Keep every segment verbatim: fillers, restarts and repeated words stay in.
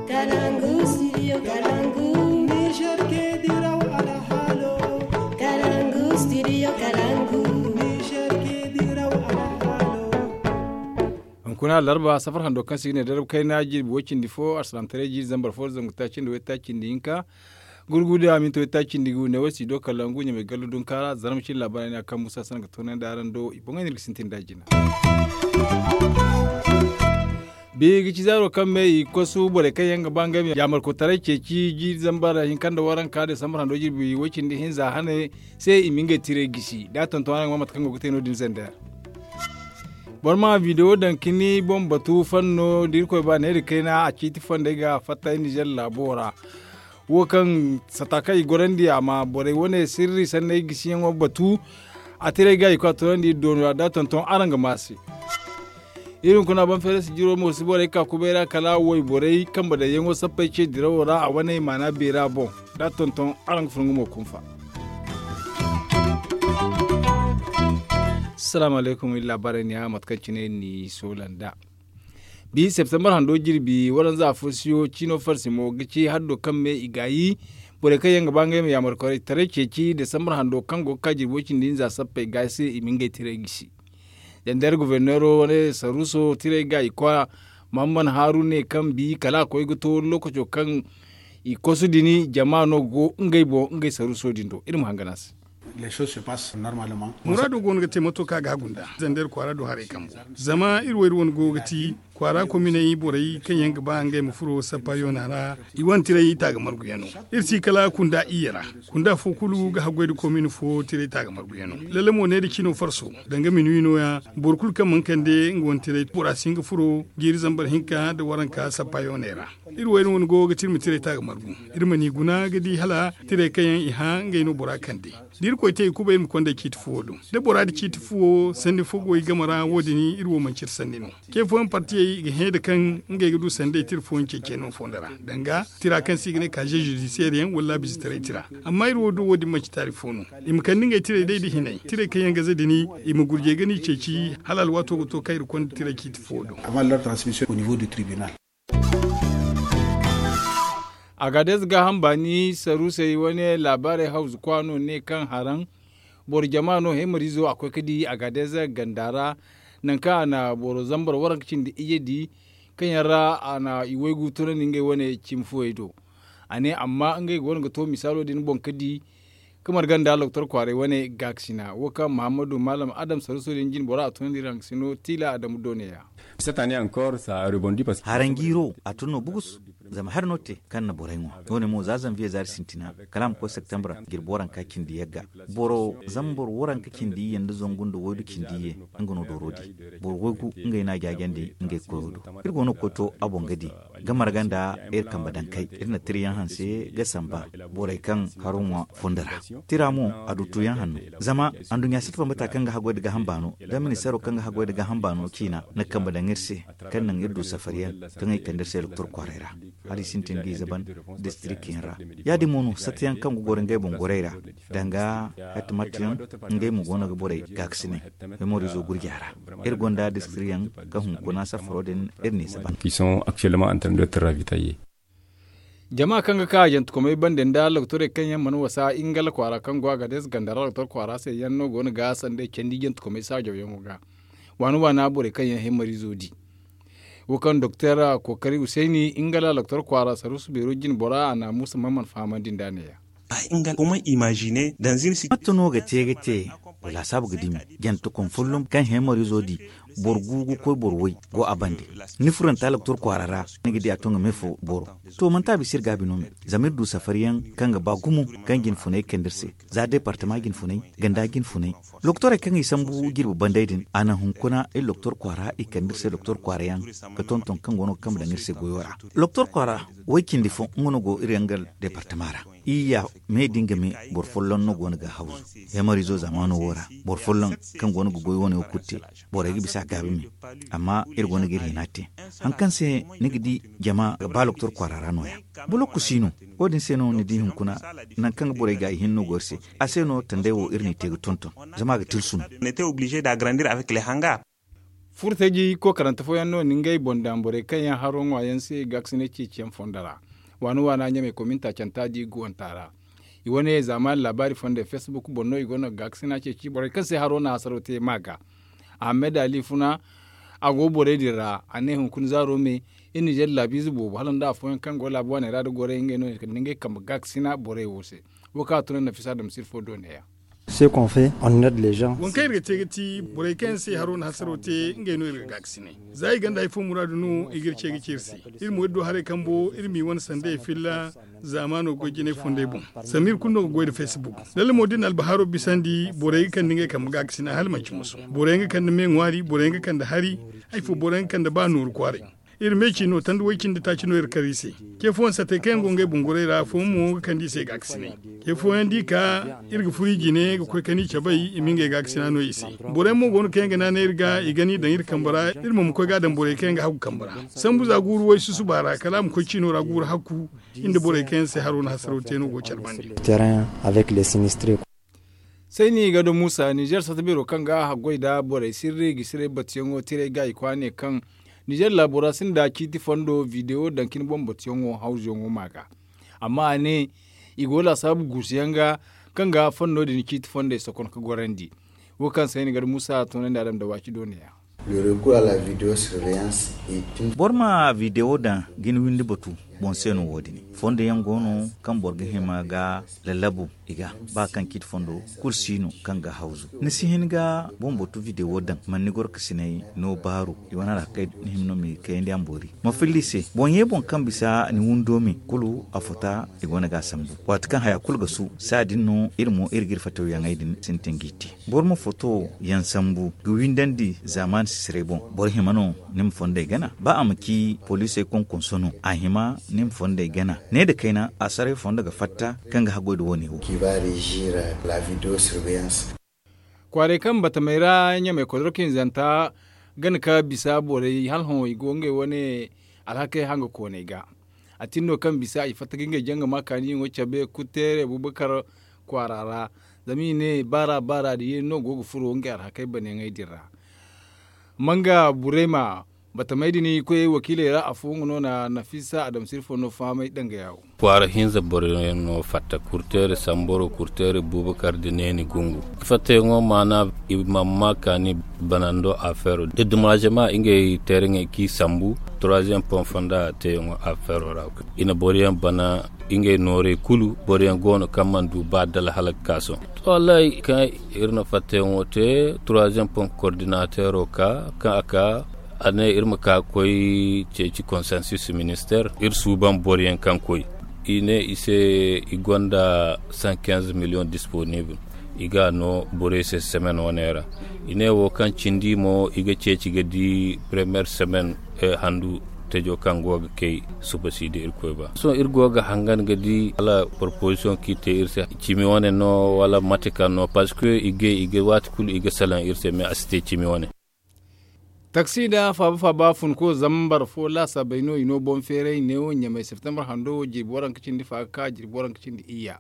Kalangu studio kalangu. Niger ke diraw alhalo. Kalangu studio kalangu. Niger ke diraw alhalo. Hunkuna larba safar hando kaŋ si ga ne darab kayna jirbi way cindi fo arsalamtaray jiiri zambar fo zangu taaci nda way taaci nda hinka. Gurgudu a minti way taaci nda gu ne way si do kalangu ɲamay gallu dunkaara zarma cin labaray ne a kaŋ musa sana ga toonandi araŋ do i boŋay no iri ga sintin da jina. Bi ga ci zaaro kaŋ me i kwasu borey kaŋ yaŋ ga ba ngey ma yaamarkotaray ceeci jiiri zambar hinka nda waranka desambar hando jirbi way cindi hinza hane se i ma ngey tiray gisi da a tonton araŋ ga ma mate kaŋ go ga te no- din zandar. Boro ma video daŋ kini boŋ batu fanno da irkoy ba neeri kayna a ciiti fondey ga fatta nizer laabo ra. Wo kaŋ sata kaŋ i gorandi a ma borey wane sirri sanney gisiyaŋo batu. A tiray ga i koy a toonandi iri doona da tonton araŋ ga ma a se. Iri hunkuna baŋ feere si jiro mo si borey ka kubay ra kala wayborey kambe daŋyaŋo sappey ce dirawo ra a wane maana beera boŋ. Da tonton araŋ ga furo nga mo kunfa. Salaamu alaykum iri laabaarey ne ya mate kaŋ cine iri n'i soola nd'a. Bi septembar hando jirbi waranza fo siyo ciino farsi mo ga ci haddo kaŋ me i gaayi. Borey kaŋ yaŋ ga ba ngey ma yaamarkoy taray ceeci desambar hando kaŋ go ga ka jirbo cindi hinza sappey ga se i ma ngey tiray gisi. Dandeer goforneero wane saruuso tiray ga i koy. Mahamman haaru ne kaŋ bi kala a koy ga to lokaco kaŋ i kosu din jama no go ngey boŋ ngey saruuso din do iri ma hangan a se. Muraado go no ga te mato kaŋ a ga a gunda zandeer kwaara do haray kambo. Zama iri wo iri wane go ga ti kwaara kominey borey kaŋ yaŋ ga ba ngey ma furo sappa yoona ra. I wane tiray taaga marguyaŋo iri si kala kunda iyye ra. Kunda fo kulu ga haggoy nda komin fo tiray taaga marguyaŋo lalle mo neera cino farso danga minuwi nooya. Boro kulu kaŋ mana kande nga wane tiray bora si hin ga furo jiiri zambar hinka nda waranka sappa yooney ra. Iri wo iri wane go ga ti iri ma tiray taaga margu. Iri mana i guna ga di hala tiray kaŋ yaŋ i hã ngey no bora kande. Da irkoy te i kubay iri ma konda ciiti fuwo do da bora nda ciiti fuwo sanni fo go i game ra wo- din iri wo manci iri sanni no. Ce fooyaŋ partiyey i ga hẽ nda kaŋ ngey ga du sanday tira fooyaŋ ceeciyaŋ no fondo ra danga tira kaŋ se i ga ne kaaze zudisiyeer yaŋ wala bizitaray tira. Amma iri wo do wo- din manci taari fo no. I ma kande ngey tiray day nda hinay tiray kaŋ yaŋ ga za din i ma gurjey ga no i ceeci hala alwaato ga to kaŋ iri konda tiray ciiti fuwo do. Agaadez gaaham baani saruusey wane laabaarey hawzu kwa no ne kaŋ haraŋ boro jama no hemariizo a koy ga di agaadez ganda ra. Nangu kaŋ a na boro zambar waranka cindi iyye di kaŋ yaŋ ra a na i waygu tunandi ngey wane cimi fooyey do. A ne amma ngey goono ga to misaalo din boŋ ga di ga marga nda loktor kwaaray wane gaakasina wo kaŋ mahammadu maalam adam saruuso din jine bora a tunandi iri hangasino tiila adamu do ne- ya. Haraŋ jiiro a tun no bugus. Zama hari no te kaŋ na borey ŋwa wo- ne mo za zanviye zaari sintina kala a ma koy septembre jirbi waranka cindi yagga. Boro zama boro waranka cindi iyye nda zangu nda waydu cindi iyye nga no dooro di. Boro waygu ngey no a jaajandi ngey koyo do. Iri go no ga koy to a boŋ ga di ga marga nda iri kambe dankey iri na tira yaŋ hanse ga samba borey kaŋ haro ŋwa fondo ra. Tira mo a du tuyaŋ hanno zama anduɲɲa si ti bambata kaŋ ga haggoy nda gaaham baano da ministeero kaŋ ga haggoy nda gaaham baano ciina na kambe daŋ iri se kaŋ naŋ iri du safariyaŋ kaŋ i kande iri se doktor kwaaray ra. Hala i sintin ga i zaban distriktiyaŋ ra. Ya- din mo no satteyaŋ kaŋ ga goro ngey boŋ gorey ra danga hatimattiyaŋ ngey mo go no ga borey gaakasinay memorizo gurja ra. Iri gonda distriktiyaŋ ga hunkuna safaro din iri n'i zaban. Jama kaŋ ga ka jantakomey bande nda loktorey kaŋ yaŋ mana wasa ingala kwaara kaŋ go a ga deesa ganda ra loktor kwaara se yaŋ no go no ga sanday candi jantakomey saajawyaŋo ga. Waana waana borey kaŋ yaŋ hemariizo di wo kaŋ doktor kookari husayni ingala loktor kwaara saruusu beero jine bora a na muusa man mana fahamandi nd'a ne- ya. Matta no ga te ga te? Wa laasaabu ga dimi jantakom folloŋ kaŋ hemariizo di boro gu ga koy boro way go a bande. Ni furanta loktor kwaara ra ni ga di a to nga me fo boro. To manti a bisa iri gaabi no me zama iri du safariyaŋ kaŋ ga ba gumo kaŋ jinfunay kande iri se za departama jinfunay ganda jinfunay. Loktorey kaŋ i sambu jirbi banday din a naŋ hunkuna iri loktor kwaara i kande iri se loktor kwaarayaŋ ga tonton kaŋ go no ga kambe daŋ iri se goyo ra. Loktor kwaara way cindi fo nga no go iri yaŋ ga departama ra. Iyya me da nga me boro folloŋ no go no ga hawzu. Hemariizo zaamaano wo ra boro folloŋ kaŋ go no ga goy wane wo kulu te. Borey ga bisa a gaabi me. Amma iri go no ga iri hina te. Hari kaŋ se ni ga di jama ga ba loktor kwaara ra no- ya. Boloku si no. Wo- din se no ni di hunkuna nangu kaŋ ga borey ga i hinne no go iri se. A se no tanday wo iri n'i te ga tonton zama a ga tilsu no. Furtaji kookarante fooyaŋ no na ngey boŋ daŋ borey kaŋ yaŋ haro ŋwa yaŋ se gaakasinay ceeciyaŋ fondo ra. Waani waana ɲamey kominta canta da i guwanta ra. I wane zaamaani laabaari fondey facebook boŋ no i go no ga gaakasina ceeci borey kaŋ se haro na hasaro te ma ga. Ahamed ali funa, a go borey din ra a ne hunkuna zaaro me. Iri nizer laabiize boobo hala nda afooyaŋ kaŋ go laabu waaney ra nda gorey ngey no i kande ngey kambe gaakasina borey wo se. Wo kaŋ a tun nafisa dam sirfo do neeya. Waŋ kaŋ iri ga te ga ti borey kaŋ yaŋ se haro na hasaro te ngey no iri ga gaakasinay. Za i gonda hari fo muraadu no i ga iri ce ga ci iri se. Iri mo iri du haray kambo iri m'i wane sandey filla zaamaano goy jinay fondey boŋ. Zama iri kulu no ga goy nda facebook. Lalle mo da iri na albahaaro bisandi borey ga kande ngey kambe gaakasina hala manci musu. Borey ga kande me ŋwaari borey ga kande hari. Hari fo borey ga kande ba nooru kwaaray. Iri me ciino tanda way cindi taaci no iri kar i se. Ce fooyaŋ sattey kaŋ yaŋ go ngey bungurey ra afooyaŋ mo ga kande i se gaakasinay. Ce fooyaŋ da i ka iri ga furo i jine ga koy kani cabay i ma ngey gaakasina no i se. Borey mo go no kaŋ yaŋ ga naanay iri ga i gana i daŋ iri kambe ra. Iri mo ma koy ga a daŋ borey kaŋ yaŋ ga hagu kambe ra. Sambu za guuru way susuba ra kala a ma koy ciino ra guuru hakku. Iri nda borey kaŋ yaŋ se haro na hasaraw te no go care bande. Sayni ga da muusa nizer satta beero kaŋ ga a haggoy nda borey sirri ga siray batuyaŋo tiray ga i kwaane kaŋ nizer laabo ra sinda ciiti fondo videwo daŋ ka ni boŋ batuyaŋo hawzuyaŋo ma ga. Amma a ne i go laasaabu guusuyaŋ ga kaŋ ga fondo din ciiti fondey sokon ga gorandi. Wo kaŋ sayni ga da muusa a toonandi a daŋ nda waaci dooniya. Boro ma videwo daŋ ga ni windi batu boŋ se no wo- din. Fondo yaŋ go no kaŋ boro ga hima ga lallabu i ga ba kaŋ ciiti fondo kulu si no kaŋ ga hawzu. Ni si hin ga boŋ batu videwo daŋ man ni gorkasinay no baaru i wane ra kay ni hima no ma i kayandi a ma boori. Ma filla i se boŋ ye boŋ kaŋ bisa ni windo me kulu a fota i go no ga a sambu. Waati kaŋ haya kulu ga su saadin no iri mo iri ga iri fataw yaŋey din sintin ga i te. Boro ma foto yaŋ sambu ga windandi zaamaani sisiray boŋ. Boro hima no ni ma fondey gana ba a ma ci poliisey konkonso no a hima ni ma fondey gana. Ne nda kayna a saray fondo ga fatta kaŋ ga haggoy nda wo- ne wo. Kwaaray kaŋ batamey ra ɲamey kodorka hinzanta gana ka bisa borey hala hõ i go ngey wane alhakey hanga kooney ga. A tin no kaŋ bisa i fatta ga ngey janga ma kaaniyaŋo cabe kutteere bubakar kwaara ra. Zama i ne baara baara da yeeni no go ga furo ngey alhakey baneyaŋey din ra. Manga burema batamey din i koyey wakiiley ra afo nga no na nafisa adamsir fo no fahamay danga yaawo. Kwaara hinza boro yaŋ no fatta kurteere samboro kurteere bubakar da neeni gungu. Fattayaŋo maana i mamma kaani banando afeero da dumazema ngey teeraŋey kaŋ i sambu troisième pont fonda teeyaŋo afeero ra. I na boro yaŋ bana ngey noorey kulu boro yaŋ go no kaŋ mana du ba dala hala ga ka sohõ. Wallahi kaŋ iri na fattayaŋo te troisième pont koordinateero ka kaŋ a ka a ne iri ma ka ga koy ceeci konsensus ministeer iri suuban boro yaŋ kaŋ koy. I ne i se i gonda cent quinze million disponible i ga a no borey se semaine wane ra. I ne wo kaŋ cindi mo i ga ceeci ga di première semaine handu tajo kaŋ go ga kay suba si da irkoy ba sohõ iri go ga hangan ga di hala proposition kaŋ i te iri se cimi wane no wala mate kaŋ no parce que i ga waati kulu i ga salaŋ iri se mais a si te cimi wane. Taksi nda faaba faaba funko zambar fo laasaabey no i no boŋ feeray neewo ɲamey septembre hando wo jirbi waranka cindi fa ga ka jirbi waranka cindi iyya.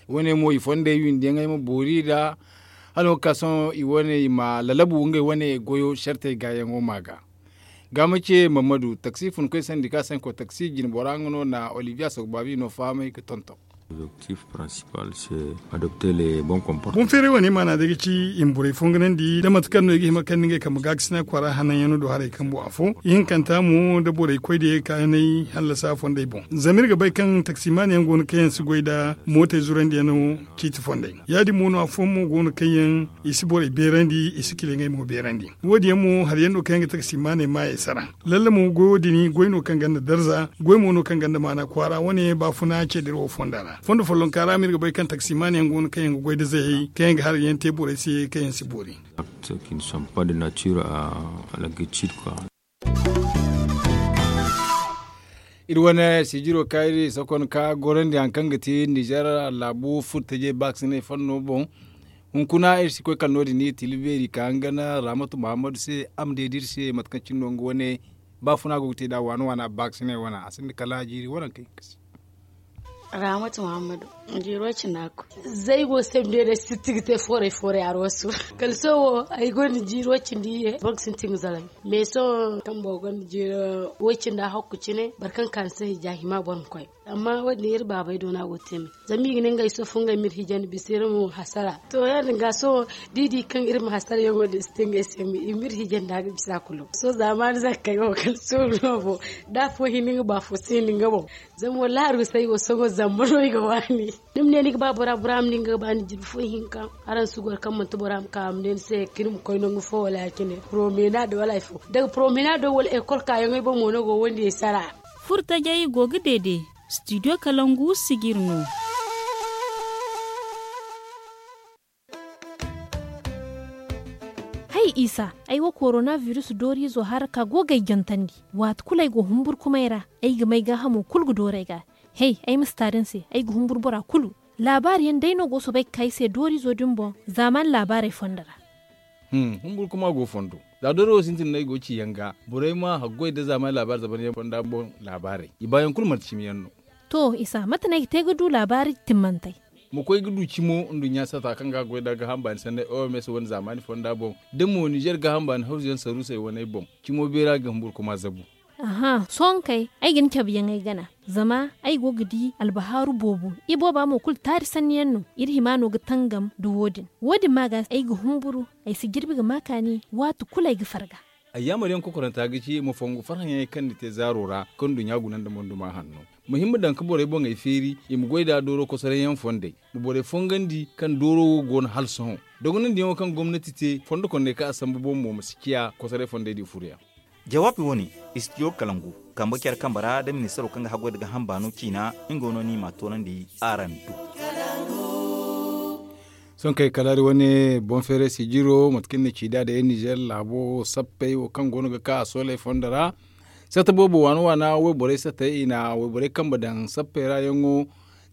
Wo- ne mo i fondey windiyaŋey ma boori nd'a hala wo ga ka sohõ i wane i ma lalabu ngey wane goyo sartey gaayaŋo ma ga. Gaama ce mammadu taksi funkoy sandi ka sanko taksi jine bora nga no na olivier asogbabi no fahamay ga tonton. Boŋ feeray wane maana day ga ci i ma borey fonganandi da mate kaŋ no i ga hima kaŋ ni ngey kambe gaakasina kwaara hananyaŋ no do haray kambo afo ihinkanta mo da borey koy da ye ga kaanay hallasa fondey boŋ zama iri ga bay kaŋ taksimaani yaŋ go no kaŋ yaŋ si goy nda mootey zurandiyaŋ no ciiti fondey ya- din mo no afooyaŋ mo go no kaŋ yaŋ i si borey beerandi i si kila ngey mo beerandi. Wo- din yaŋ mo hari yaŋ no kaŋ yaŋ ga taksimaaney maayey sara. Lalle mo goyo din goy no kaŋ gonda darza goy mo no kaŋ gonda maana kwaara wane baafuna ce da iri wo fonda ra fondo follonka ra ma iri ga bay kaŋ taksimaaney yaŋ go no kaŋ yaŋ ga goy nda zayey kaŋ yaŋ ga hari yaŋ te borey se kaŋ yaŋ si boori. Iri wane sijiro kaŋ iri sokon ka gorandi hari kaŋ ga ti nizer laabu furtaje baakisinay fanno boŋ. Hunkuna iri si koy kala no- din iri tila beeri ka nga gana ramatu mahammadu se a ma deedi iri se mate kaŋ cine no nga wane baafuna go ga te nd'a waana waana baakisinay wane a sinda kala jiiri waranka hinka se. Rahamatu muhammadu. Jiiro cindi hakku. Zaygo se ma ne day sitti ga te fooray fooray arwasu. Kala sohõ ay gonda jiiro cindi iyye boro ga sintin ga zalami. Mais sohõ kaŋ boro gonda jiiro way cindi hakku cine boro kaŋ ga ka ni se hijja hima boro ma koy. Amma wo- din iri baabey do no a go ga te me. Zama i ga ne ngey sohõ fo ngey ma iri hijandi bisa iri ma hasara. To ya- din ga sohõ da i di kaŋ iri ma hasara yaŋo din si te ngey se me i ma iri hijandi a ga bisa kulu sohõ zaamaani zankey wo kala sohõ no boŋ. Da afo hin nga ba afo si hin nga boŋ. Zama wallaahi arwasey wo sohõ zamba no i ga waani. Ni ma ne ni ga ba bora bora ma ne nga ga ba ni jirbi fo ihinka. Araŋ si goro kaŋ manti bora ma ka a ma ne ni se kini ma koy nangu fo wala ya- cine promenade wala hari fo daga promenade wala ekol kaayaŋey boŋ mo no go wandiyey sara. Furo tajey go ga deede. Studio kalangu sijiri no. Hay isa, ay wo korona virus dooriizo hara ka go ga ay jantandi. Waati kulu ay go humburkumay ra, ay ga may gaahamo kulu ga dooru ay ga. Hey, ay ma si ta din se ay ga humburu bora kulu. Laabaari yaŋ day no go soobay ga ka ay se dooriizo din boŋ zaamaani laabaarey fondo ra. Humburu kuma go fondo. Za dooro wo sintin no ay go ga ci yaŋ ga borey ma haggoy nda zaamaani laabaari zaban yaŋ fonda boŋ laabaarey i baayaŋ kulu manti cimi yaŋ no. To isa mate no ay ga te ga du laabaari timmantey? Ma koy ga du cimo nduɲɲa sata kaŋ ga a goy nda gaaham baani sanney oms wane zaamaani fonda boŋ da mo nizer gaaham baani hawzu yaŋ saruusey waney boŋ. Cimo beera ga humburu kuma zabu. Aha sohõ kay ay ga ni cabe yaŋ ay gana. Zama ay go ga di albahaaru boobo. Ibooba mo kulu taari sanni yaŋ no. Iri hima no ga tangam nda wo- din. Wo- din ma ga ay ga humburu. Ay si jirbi ga ma kaani waati kulu ay ga farga. Ay yaamar yaŋ kokoranta ga ci ma fongu farhã yaŋey kaŋ ni te zaaro ra kaŋ nduɲɲa guna nda monduma hanno. Ma hima daŋ ga borey boŋey feeri i ma goy nd'a dooro kosoray yaŋ fondey. Ma borey fongandi kaŋ dooro wo go no hala sohõ. Dogonandi yaŋo kaŋ gomnati te fondo kondey kaŋ a sambu boŋ mo ma si ciya kosoray fondey din furo yaŋ. Jawaabi wo- ne, istidiyo kalangu kambe care kambe ra nda ministaro kaŋ ga haggoy nda gaaham baano ciina. Nga no no i m'a toonandi araŋ do. Sohõ kay kala hari wane boŋ feeray sijiro mate kaŋ ni na ci nd'a day nizer laabo sappey wo kaŋ go no ga ka a sooley fondo ra. Satta boobo waana waana wayborey sattey i na wayborey kambe daŋ sappey ra yaŋo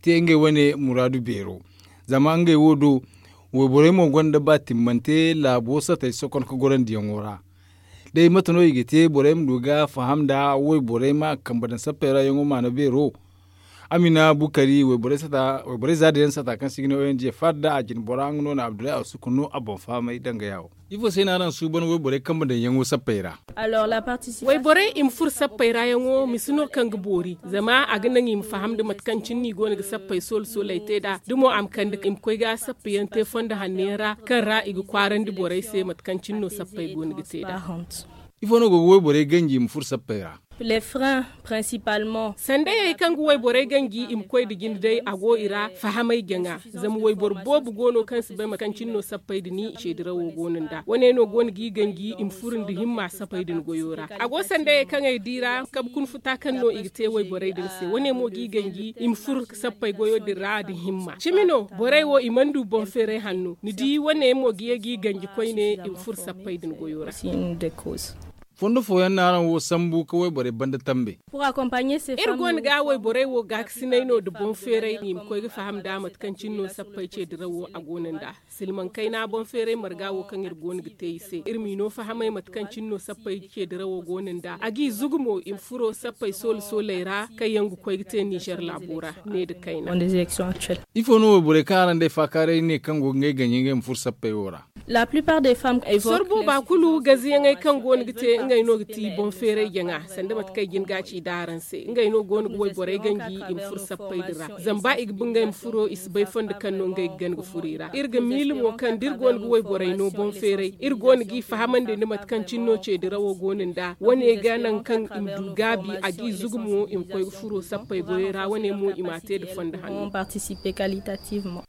te ngey wane muraadu beero. Zama ngey wo do wayborey mo gonda ba timmante laabo sattey sokon ga gorandiyaŋo ra. Day mate no i ga te borey ma du ga faham nda wayborey ma kambe daŋ sappey ra yaŋo maana beero? Amina bukari wayborey za din yaŋ sata kaŋ se i ga ne ong fadda a jine bora nga no na abdullahi asuku no a boŋ fahamay danga yaawo. Ifo se no araŋ suuban wayborey kambe daŋ yaŋo sappey ra? Wayborey i ma furo sappey ra yaŋo misi no kaŋ ga boori zama a ga naŋ i ma faham nda mate kaŋ cine no i go no ga sappey soole sooley te nd'a da mo a ma kande i ma koy ga sappey yaŋ te fondo hanno yaŋ ra kaŋ ra i ga kwaarandi borey se mate kaŋ cine no sappey go no ga te nd'a. Ifo no go ga wayborey ganji i ma furo sappey ra? Sandayey kaŋ ga wayborey ganji i ma koy nda jine day a go i ra fahamay jaŋa. Zama wayboro boobo go no kaŋ si bay mate kaŋ cine no sappey din i ce dirawo go no nd'a wane no go no g'i ganji i ma furo nda himma sappey din goyo ra. A go sandayey kaŋ ay di ra kabe kuna futa kaŋ no i ga te wayborey din se wane mo g'i ganji i ma furo sappey goyo din ra nda himma cimi no borey wo i mana du boŋ feeray hanno ni di wane mo ga ye g'i ganji koyne i ma furo sappey din goyo ra. Fondo fooyaŋ no araŋ wo sambu ga wayborey banda tambe? Iri go no ga wayborey wo gaakasinay no nda boŋ feeray i ma koy ga faham nda mate kaŋ cine no sappey ce dirawo a go no nd'a. Silmaŋ kayna boŋ feeray marga wo kaŋ iri go no ga te i se iri m'i no fahamay mate kaŋ cine no sappey ce dirawo go no nd'a a g'i zugu mo i ma furo sappey soole sooley ra kaŋ yaŋ ga koy ga te nizer laabo ra ne nda kayna. Ifo no wayborey kaŋ araŋ day faakaaray ne kaŋ go ga ngey ganji ngey ma furo sappey wo ra? Soro booba kulu gaziyaŋey kaŋ go no ga te ngey no ga ti boŋ feeray jaŋa sanda mate kaŋ ay jin ga a ci nd'a araŋ se ngey no go no ga wayborey ganji i ma furo sappey din ra zama ba i ga ba ngey ma furo i si bay fondo kaŋ no ngey ga gana ga furo i ra iri ga miila mo kaŋ da iri go no ga wayborey no boŋ feeray iri go no g'i fahamandi nda mate kaŋ cine no ce dirawo go no nd'a wane ga naŋ kaŋ i ma du gaabi a g'i zugu mo i ma koy ga furo sappey goyey ra wane mo i m'a te nda fondo hanno.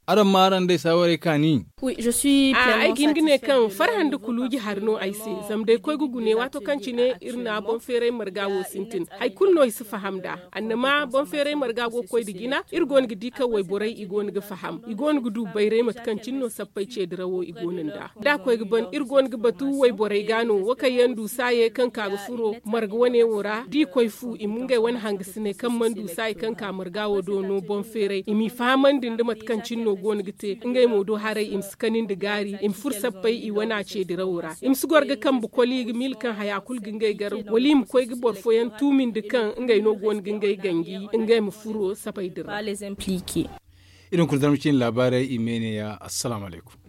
Araŋ ma araŋ day saawarey kaani? Ay ga hin ga ne kaŋ farhã nda kuluuji hari no ay se zama day koy ga gune waato kaŋ cine iri na boŋ feeray marga wo sintin hari kulu no i si faham nd'a. Annama boŋ feeray marga go ga koy nda jina iri go no ga di kaŋ wayborey i go no ga faham i go no ga du bayray mate kaŋ cine no sappey ce dirawo i go no nd'a da a koy ga ban iri go no ga batu wayborey ga no wo kaŋ yaŋ du saayey kaŋ ka ga furo marga wane wo ra da i koy fu i ma ngey wane hangasiney kaŋ mana du saayey kaŋ ka marga wo do no boŋ feeray i m'i fahamandi nda mate kaŋ cine no go no ga te ngey mo do haray i ma si kani nda gaari i ma furo. Sappey i wane a ce dirawo ra i ma si goro ga kambe koli ga miila kaŋ haya kulu ga ngey gar wala i ma koy ga boro fooyaŋ tuumindi kaŋ ngey no go no ga ngey ganji ngey ma furo sapey din ra. I na hunkuna zarma ciine laabaarey i ma ne ya assalaamu alaykum.